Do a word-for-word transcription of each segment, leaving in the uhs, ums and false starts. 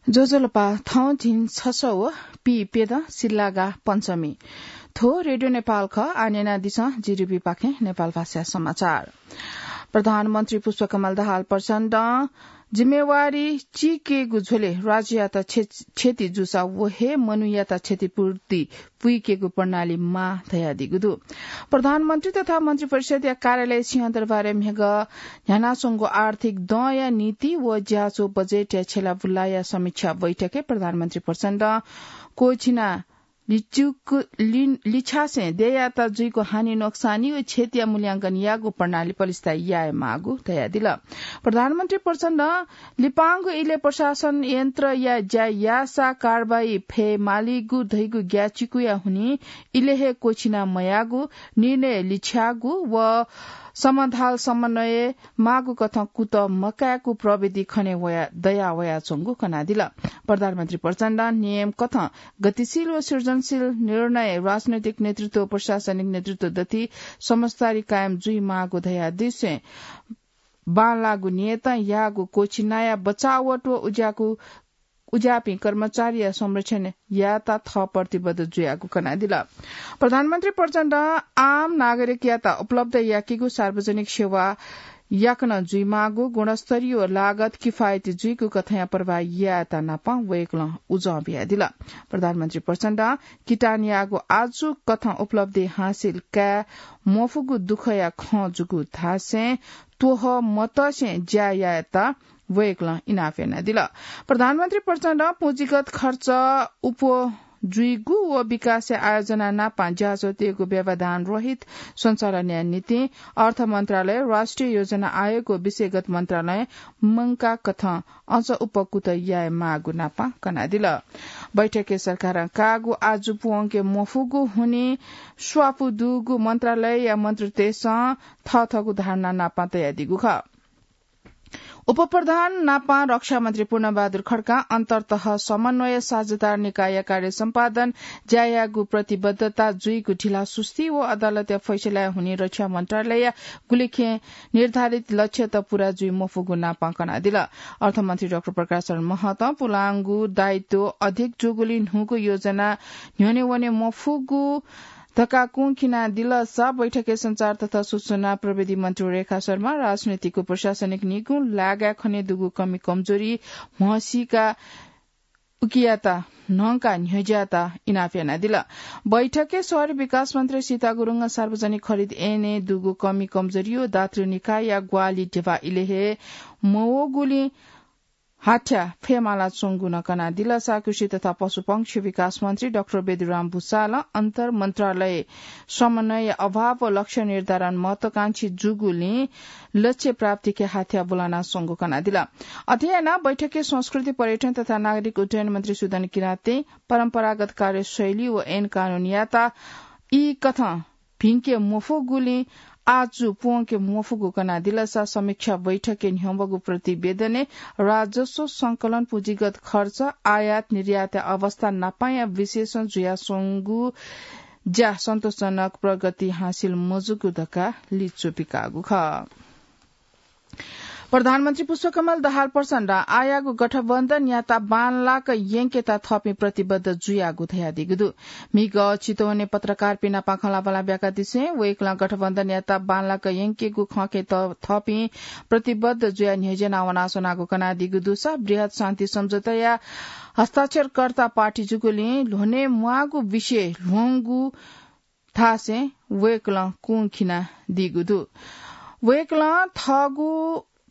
ज्वजलपा, थौं झिंछसः व पीप्यदँ सिल्लागा पञ्चमी। थ्व रेडियो नेपाल खः। आः न्यनादिसँ जीडीबीपाखें नेपाल भाषा समाचार। प्रधानमन्त्री पुष्पकमल दाहाल प्रचण्डं जिम्मेवारी चीकेगु झ्वलय् राज्ययात क्षे-, क्षति जूसा व हे मनूयात क्षतिपूर्ति पुइकेगु प्रणाली माः धयादीगु दु। प्रधानमन्त्री तथा मन्त्रिपरिषदया कार्यालय सिंहदरबारय् म्हिगः न्ह्यानाच्वंगु आर्थिक दँया नीति व ज्याझ्वः बजेटया छ्यलाबुलाया समीक्षा बैठकय् प्रधानमन्त्री प्रचण्डं क्वःछिना लिचुक-, लि-, लिछ्यासें देय्‌यात जुइगु हानि नोक्सानी व क्षतिया मूल्यांकन यायेगु प्रणाली पलिस्था याये माःगु धयादिल। प्रधानमन्त्री प्रचण्डं लिपांगु इलय् प्रशासन यन्त्रया ज्या याःसा कारवाही फये मालीगु धइगु ग्याचिकुया हुनिं इलय् हे क्वःछिना मयाःगु, निर्णय लिछ्याःगु व समाधाल समन्वय माःगु कथं कुतः मकायेगु प्रविधि खने वया, दया वयाच्वंगु कनादिल। प्रधानमन्त्री प्रचण्डं नियम कथं गतिशील व सृजनशील निर्णय, राजनैतिक नेतृत्व, प्रशासनिक नेतृत्व दथि समझदारी कायम जुइमाःगु धयादिसें बांलाःगु नियतं याःगु क्वःछिनाया बचावट व उज्याःगु, उज्याःपिं कर्मचारीया संरक्षण यायेत थः प्रतिबद्ध जुयागु कनादिल। प्रधानमन्त्री प्रचण्डं आम नागरिकयात उपलब्ध याकीगु सार्वजनिक सेवा याकनं जुइमाःगु, गुणस्तरीय व लागत किफायती जुइगु कथंया प्रवाह यायेत नापं वय्‌कलं उजं बियादिल। प्रधानमन्त्री प्रचण्डं किटान याःगु आजु कथं उपलब्धि हासिल काये मफुगु दुःखया खँ जूगु धासें त्वहः मतसें ज्या यायेत वय्‌कलं इनाप यानादिल। प्रधानमन्त्री प्रचण्डं पुँजीगत खर्च अप्वः जुइगु व विकासया आयोजना नापं ज्याझ्वःतय्‌गु व्यवधान रहित सञ्चालनया निंतिं अर्थ मन्त्रालय, राष्ट्रिय योजना आयोग व विषयगत मन्त्रालयं मंकाः कथं अझ अप्वः कुतः याये माःगु नापं कनादिल। बैठकय् सरकारं काःगु आजु पूवंके मफुगु हुनिं स्वापू दुगु मन्त्रालयया मन्त्रीतय्‌सं थःथःगु धारणा नापं तयादीगु खः। उपप्रधान नापं रक्षामन्त्री पूर्णबहादुर खड्कां अन्तर्तह समन्वय साझेदार निकायया कार्य सम्पादन ज्या यायेगु प्रतिबद्धता जुइगु ढिलासुस्ती व अदालतया फैसलाया हुनिं रक्षा मन्त्रालयया गुलिखें निर्धारित लक्ष्यत पूरा जुइ मफुगु नापं कनादिल। अर्थमन्त्री डाक्टर प्रकाश शरण महतं पुलांगु दायित्व अधिक जूगुलिं न्हूगु योजना न्ह्यःने वने मफुगु धकाः कुंखिनादिलसा बैठकय् सञ्चार तथा सूचना प्रविधि मन्त्री रेखा शर्मा राजनीतिक व प्रशासनिक निगू लागाय् खने दुगु कमी कमजोरी म्हसीका उकियात न्हंकाः न्ह्यज्यात इनाप यानादिल। बैठकय् शहरी विकास मन्त्री सीता गुरुङं सार्वजनिक खरिद ऐनय् दुगु कमी कमजोरी व दातृ निकायया ग्वाहालि ध्यबा इलय् हे मवःगुलिं हाथ्या फयेमाला च्वंगु नं कनादिलसा कृषि तथा पशुपक्षी विकास मन्त्री डाक्टर बेदुराम भुसालं अन्तर मन्त्रालय समन्वय अभाव व लक्ष्य निर्धारण महत्वाकांक्षी जूगुलिं लक्ष्य प्राप्तिके हाथ्या बुलाना स्वंगु कनादिल। अथे यानाः बैठकय् संस्कृति, पर्यटन तथा नागरिक उड्डयन मन्त्री सुदन किराँतय् परम्परागत कार्यशैली व ऐन कानूनयात ई कथं भिंके मफुगुलिं आजु प्वंके मफुगु कनादिलसा समीक्षा बैठकय् न्ह्यवःगु प्रतिवेदनय् राजस्व संकलन, पुँजीगत खर्च, आयात निर्यातया अवस्था नापांया विश्लेषण जुयास्वंगु ज्या सन्तोषजनक प्रगति हासिल मजूगु धकाः लिच्वपिकाःगु खः। प्रधानमन्त्री पुष्पकमल दाहाल प्रचण्डं आःयागु गठबन्धनयात बांलाक यंकेत थःपिं प्रतिबद्ध जुयागु धयादीगु दु। म्हिगः चितवनय् पत्रकारपिं नाप खँल्हाबल्हा ब्याकादिसें वय्कलं गठबन्धनयात बांलाक यंकेगु खँके त थःपिं प्रतिबद्ध जुयाः न्ह्यज्याना वनाच्वनागु कनादीगु दुसा बृहत् शान्ति सम्झौताया हस्ताक्षरकर्ता पार्टी जूगुलिं ल्ह्वने म्वाःगु विषय ल्ह्वंगु धासें वय्कलं कुंखिनादीगु दु। वय्कलं थःगु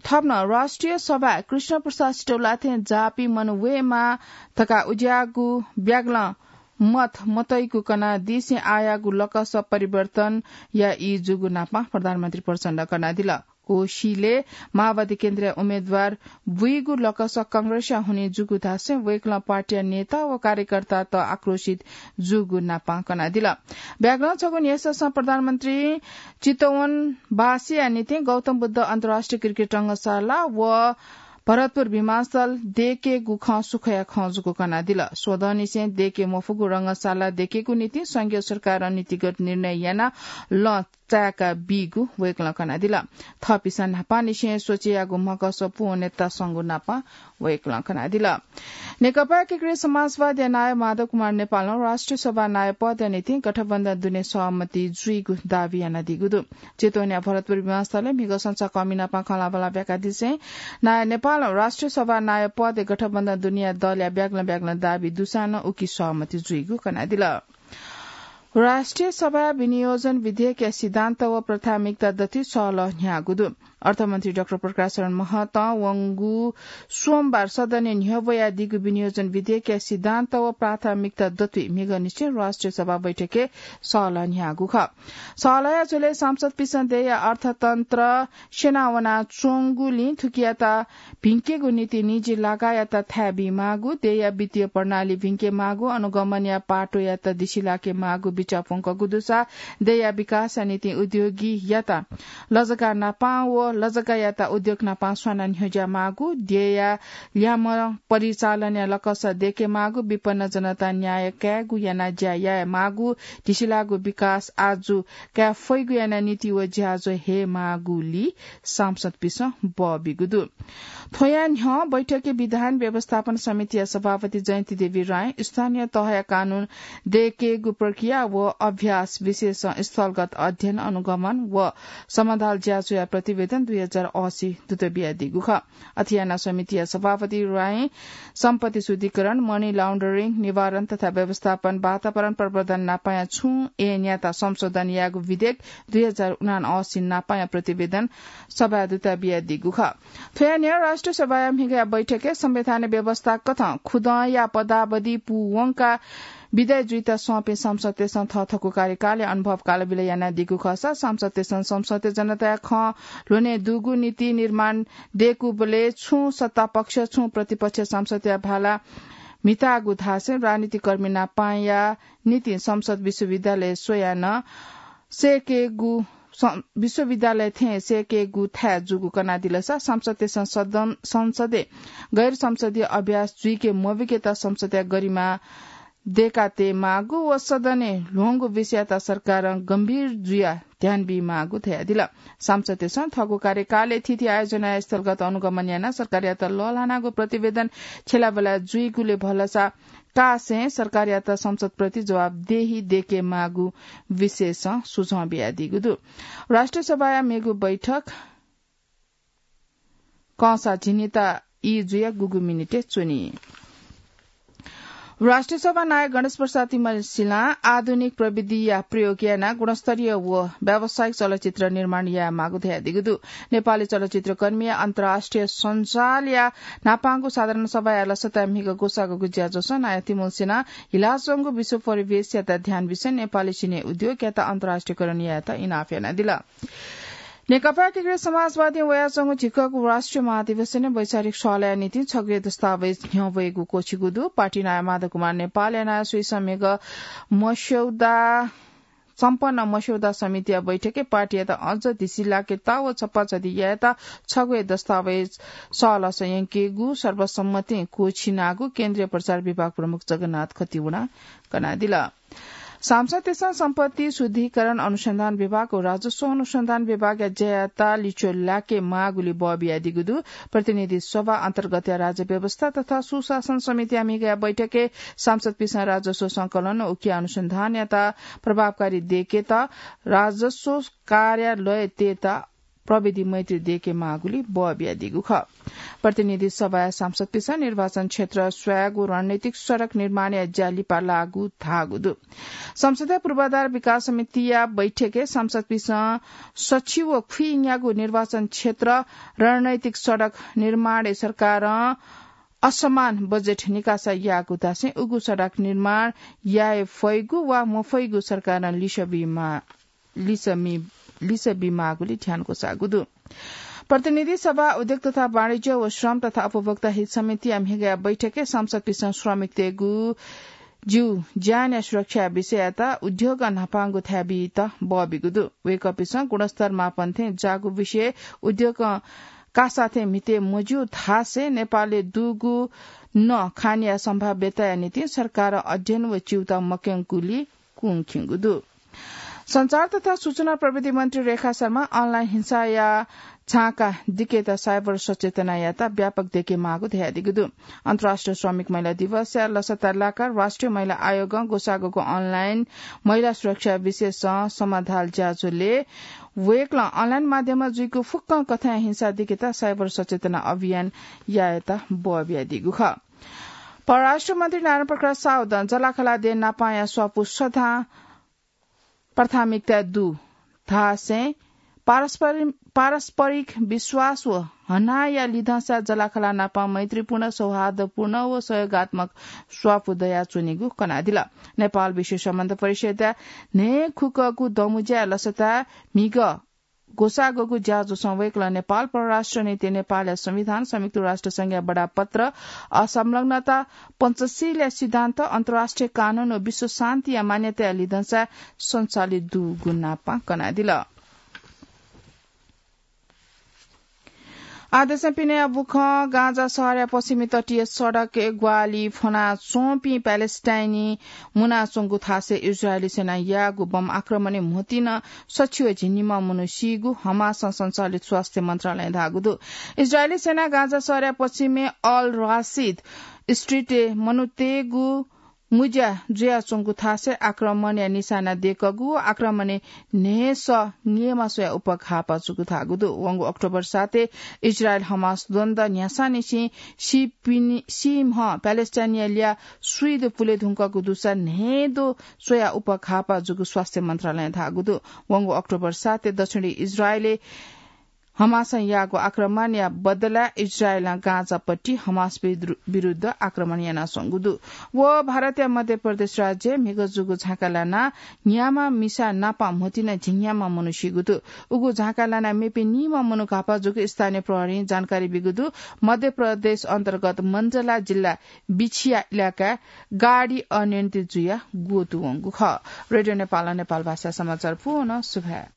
थप नं राष्ट्रिय सभाय् कृष्ण प्रसाद सिटौलाथें जाःपिं मनू वयेमाः धकाः उज्याःगु ब्यागलं मत मतइगु कनादीसें आःयागु लकस परिवर्तन याइ जूगु नाप प्रधानमन्त्री प्रचण्डं कनादिल। कोशीलय् माओवादी केन्द्रया उम्मेदवार बुइगु लकस कांग्रेसया हुनिं जूगु धासें वय्कलं पार्टीया नेता व कार्यकर्तात आक्रोशित जूगु नाप कनादिल। ब्यागलं छगू न्ह्यसःसं प्रधानमन्त्री चितवनवासीया निंतिं गौतम बुद्ध अन्तर्राष्ट्रिय क्रिकेट रंगशाला व भरतपुर विमानस्थल देकेगु खँ सुखया खँ जूगु कनादिल। स्वदँनिसें देके मफुगु रंगशाला देकेगु निंतिं संघीय सरकारं नीतिगत निर्णय यानाः लँ चाय्‌का बीगु वय्‌कलं कनादिल। थःपिसं न्हापांनिसें स्वचेयागु म्हकस पूवनेत संगु नापं वय्‌कलं कनादिल। नेकपा एकीकृत समाजवादया नायः माधव कुमार नेपालं राष्ट्रिय सभा नायः पदया निंतिं गठबन्धन दुने सहमति जुइगु दावी यानादीगु दु। चितवनया भरतपुर विमानस्थलय् म्हिगः संसार कमि नापं खँल्हाबल्हा ब्याकादिसें नायः नेपालं राष्ट्रिय सभा नायः पदय् गठबन्धन दुनेया दलया ब्यागलं ब्यागलं दावी दुसां नं उकी सहमति जुइगु कनादिल। राष्ट्रिय सभा विनियोजन विधेयकया सिद्धान्त व प्राथमिकता दथुइ सहलह न्ह्याःगु दु। अर्थमन्त्री डाक्टर प्रकाश शरण महतं वंगु सोमबार सदनय् न्ह्यब्वयादीगु विनियोजन विधेयकया सिद्धान्त व प्राथमिकता दथुइ म्हिगःनिसें राष्ट्रिय सभा बैठकय् सहलह न्ह्याःगु खः। सहलहया झ्वलय् सांसदपिसं देय्‌या अर्थतन्त्र स्यनावनाच्वंगुलिं थुकियात भिंकेगु निंतिं निजी लगायात थाय् बीमाःगु, देय्‌या वित्तीय प्रणाली भिंकेमाःगु, अनुगमनया पाटोयात दिसिलाकेमाःगु बिचाः प्वंकूगु दुसा देय्‌या विकासया निंतिं उद्योगीयात लजगाः नापं व लजगाःयात उद्योग नापं स्वाना न्ह्यज्यामाःगु, देय्‌या ल्याय्म्ह परिचालनया लकस देकेमाःगु, विपन्न जनतां न्याय कायेगु यानाः ज्या यायेमाःगु, दिसिलाःगु विकास आजु काये फइगु यानाः नीति व ज्याझ्वः हयेमाःगुली सांसदपिसं बः बीगु दु। थ्वया न्ह्यः बैठकय् विधान व्यवस्थापन समितिया सभापति जयन्ती देवी रायं स्थानीय तहया कानून देकेगु प्रक्रिया व अभ्यास विषयसं स्थलगत अध्ययन, अनुगमन व समाधान ज्याझ्वःया प्रतिवेदन दुई हजार असी दुत बियादीगु खः। अथे यानाः समितिया सभापति रायं सम्पत्ति शुद्धिकरण, money laundering निवारण तथा व्यवस्थापन वातावरण प्रवर्धन नापंया छुं ऐनयात संशोधन यायेगु विधेयक दुई हजार उनासी नापंया प्रतिवेदन सभाय् दुत बियादीगु खः। थ्वया न्ह्यः राष्ट्रिय सभाया म्हिगःया बैठकय् संवैधानिक व्यवस्था कथं खुदँया पदावधि पूवंकाः विदाय् जुइत संपिं सांसदतय्सं थःथःगु कार्यकालया अनुभव कालबिल यानादीगु खःसा सांसदतय्सं संसदय् जनताया खँ ल्ह्वने दुगु नीति निर्माण दयेकूबलय् छुं सत्तापक्ष, छुं प्रतिपक्ष सांसदया भाला म्हिताःगु धासें राजनीतिक कर्मी नापंया निंतिं संसद विश्वविद्यालय स्वयाः नं सय्केगु, सं-, विश्वविद्यालय थें सय्केगु थाय् जूगु कनादिलसा सांसदतय्सं सदन, संसदय् गैर संसदीय अभ्यास जुइके मबीकेत संसदया गरिमा दय्कातयेमाःगु व सदनय् ल्ह्वंगु विषययात सरकारं गम्भीर जुयाः ध्यान बीमाःगु धयादिल। सांसदतय्सं थःगु कार्यकालय् थीथी आयोजनाया स्थलगत अनुगमन यानाः सरकारयात लःल्हानागु प्रतिवेदन छ्यलाबल्हा जुइगुलि भलसा कासें सरकारयात संसदप्रति जवाफदेही दय्केमाःगु विषयसं सुझाव बियादीगु दु। राष्ट्रिय सभाया मेगु बैठक कंसा झिंनिता ई जुयाः गुगु मिनेटय् च्वनी। राष्ट्रिय सभा नायः गणेश प्रसाद तिमल्सिलां आधुनिक प्रविधिया प्रयोग यानाः गुणस्तरीय व व्यावसायिक चलचित्र निर्माण यायेमाःगु धयादीगु दु। नेपाली चलचित्रकर्मीया अन्तर्राष्ट्रिय सञ्जालया न्हापांगु साधारण सभाया लसताय् म्हिगः ग्वसाःगु ज्याझ्वलय् नायः तिमल्सिलां हिलाच्वंगु विश्व परिवेशयात ध्यान बिसें नेपाली सिने उद्योगयात अन्तर्राष्ट्रियकरण यायेत इनाप यानादिल। नेकपा एकीकृत समाजवादीं वयाच्वंगु झिक्वःगु राष्ट्रिय महाधिवेशनय् वैचारिक सहलहया निंतिं छगू हे दस्तावेज न्ह्यब्वयेगु क्वःछिगु दु। पार्टी नायः माधव कुमार नेपालया नायःस्वयां म्हिगः मस्यौदा सम्पन्न मस्यौदा समितिया बैठकय् पार्टीयात अझ धिसिलाकेत व छप्पा छधि यायेत छगू हे दस्तावेज सहलह यंकेगु सर्वसम्मतिं क्वःछिनागु केन्द्रीय प्रचार विभाग प्रमुख जगन्नाथ खतिवडां कनादिल। सांसदतय्सं सम्पत्ति शुद्धिकरण अनुसन्धान विभाग व राजस्व अनुसन्धान विभागया ज्यायात लिच्वः लाकेमाःगुलि बः बियादीगु दु। प्रतिनिधि सभा अन्तर्गतया राज्य व्यवस्था तथा सुशासन समितिया म्हिगःया बैठकय् सांसदपिसं राजस्व संकलन व उकिया अनुसन्धानयात प्रभावकारी दयेकेत राजस्व कार्यालयतय्त प्रविधि मैत्री दयेकेमाःगुलि बः बियादीगु खः। प्रतिनिधि सभाया सांसदपिसं निर्वाचन क्षेत्र स्वयागु रणनीतिक सडक निर्माणया ज्या लिपा लाःगु धाःगु दु। संसदया पूर्वाधार विकास समितिया बैठकय् सांसदपिसं सछि व खुइन्यागू निर्वाचन क्षेत्र रणनीतिक सडक निर्माणय् सरकारं असमान बजेट निकासा याःगु धासें उगु सडक निर्माण याये फइगु वा मफइगु सरकारं लिसः बीमा लिसः मी-, लिसः बीमाःगुलि ध्यान ग्वसाःगु दु। प्रतिनिधि सभा उद्योग तथा वाणिज्य व श्रम तथा उपभोक्ता हित समितिया म्हिगःया बैठकय् सांसदपिसं श्रमिकतय्गु ज्यू ज्यानया सुरक्षा विषययात उद्योगं न्हापांगु थाय् बीत बः बीगु दु। वय्कःपिसं गुणस्तर मापन थें जाःगु विषय उद्योगं कासाथें म्हिते मज्यू धाःसे नेपालय् दुगु नं खानया सम्भाव्यताया निंतिं सरकारं अध्ययन व च्यूताः मक्यंकुलिं कुंखिंगु दु। सञ्चार तथा सूचना प्रविधि मन्त्री रेखा शर्मां online हिंसाया झाँका दिकेत cyber सचेतना यायेत व्यापक देके माःगु धयादीगु दु। अन्तर्राष्ट्रिय श्रमिक महिला दिवसया लसता लाकाः राष्ट्रिय महिला आयोगं ग्वसाःग्वःगु online महिला सुरक्षा विषयसं समाधाल ज्याझ्वलय् वय्कलं online माध्यमं जुइगु फुक्कं कथंया हिंसा दिकेत cyber सचेतना अभियान यायेत बः बियादीगु खः। परराष्ट्र मन्त्री नारायण प्रकाश साउदं जलाखला देय् नापांया स्वापू सदां प्राथमिकता दु धाःसें पारस्परि-, पारस्परिक विश्वास व हनाया लिधंसा जलाखला नापां मैत्रीपूर्ण, सौहार्दपूर्ण व सहयोगात्मक स्वापू दयाच्वनीगु कनादिल। नेपाल विश्व सम्बन्ध परिषदया न्हय् खुकःगु दँमुँज्याय् लसताय् म्हिगः ग्वसाःग्वःगु ज्याझ्वलय् वय्कलं नेपाल परराष्ट्र नीति, नेपालया संविधान, संयुक्त राष्ट्र संघया बडापत्र, असंलग्नता, पञ्चशीलया सिद्धान्त, अन्तर्राष्ट्रिय कानून व विश्व शान्तिया मान्यताया लिधंसा सञ्चालित दुगु नापां कनादिल। आदेशं पिने बुखं गाँजा शहरया पश्चिमी तटीय सडकय् ग्वाहालि फ्वनाच्वंपिं प्यालेस्टाइनी मुनाच्वंगु थासय् इजरायली सेनां याःगु बम आक्रमणय् म्होतिं सछि व झिंनिम्ह मनू सीगु हमासं सञ्चालित स्वास्थ्य मन्त्रालयं धाःगु दु। इजरायली सेनां गाँजा शहरया पश्चिमय् अल रासिद स्ट्रिटय् मनूतय्गु मुँज्या जुयाच्वंगु थासय् आक्रमणया निशाना दय्कूगु व आक्रमणय् न्हय्सः न्येमा स्वयाः उपघाःपा जूगु धाःगु दु। वंगु अक्टोबर सातय् इजरायल हमास द्वन्द्व न्ह्यासांनिसें सीपिनि-, सीम्ह प्यालेस्टाइनिया ल्याः स्वीदँ पुले धुंकूगु दुसा न्हय्दँ स्वयाः उपघाःपा जूगु स्वास्थ्य मन्त्रालयं धाःगु दु। वंगु अक्टोबर सातय् दक्षिणी इजरायलय् हमासं याःगु आक्रमणया बदलाय् इजरायलं गाँजापट्टि हमास विद्रु-, विरुद्ध आक्रमण यानाच्वंगु दु। व भारतया मध्य प्रदेश राज्यय् म्हिगः जूगु झाँका लानाः न्याम्ह मिसा नापं म्होतिं झिंन्याम्ह मनू सीगु दु। उगु झाँका लानाः मेपिं निम्ह मनू घाःपा जूगु स्थानीय प्रहरीं जानकारी ब्यूगु दु। मध्य प्रदेश अन्तर्गत मण्डला जिल्ला बिछिया इलाकाय् गाडी अनियन्त्रित जुयाः ग्वतुवंगु खः। रेडियो नेपालं नेपाल भाषा समाचार पूवं सुभाय्।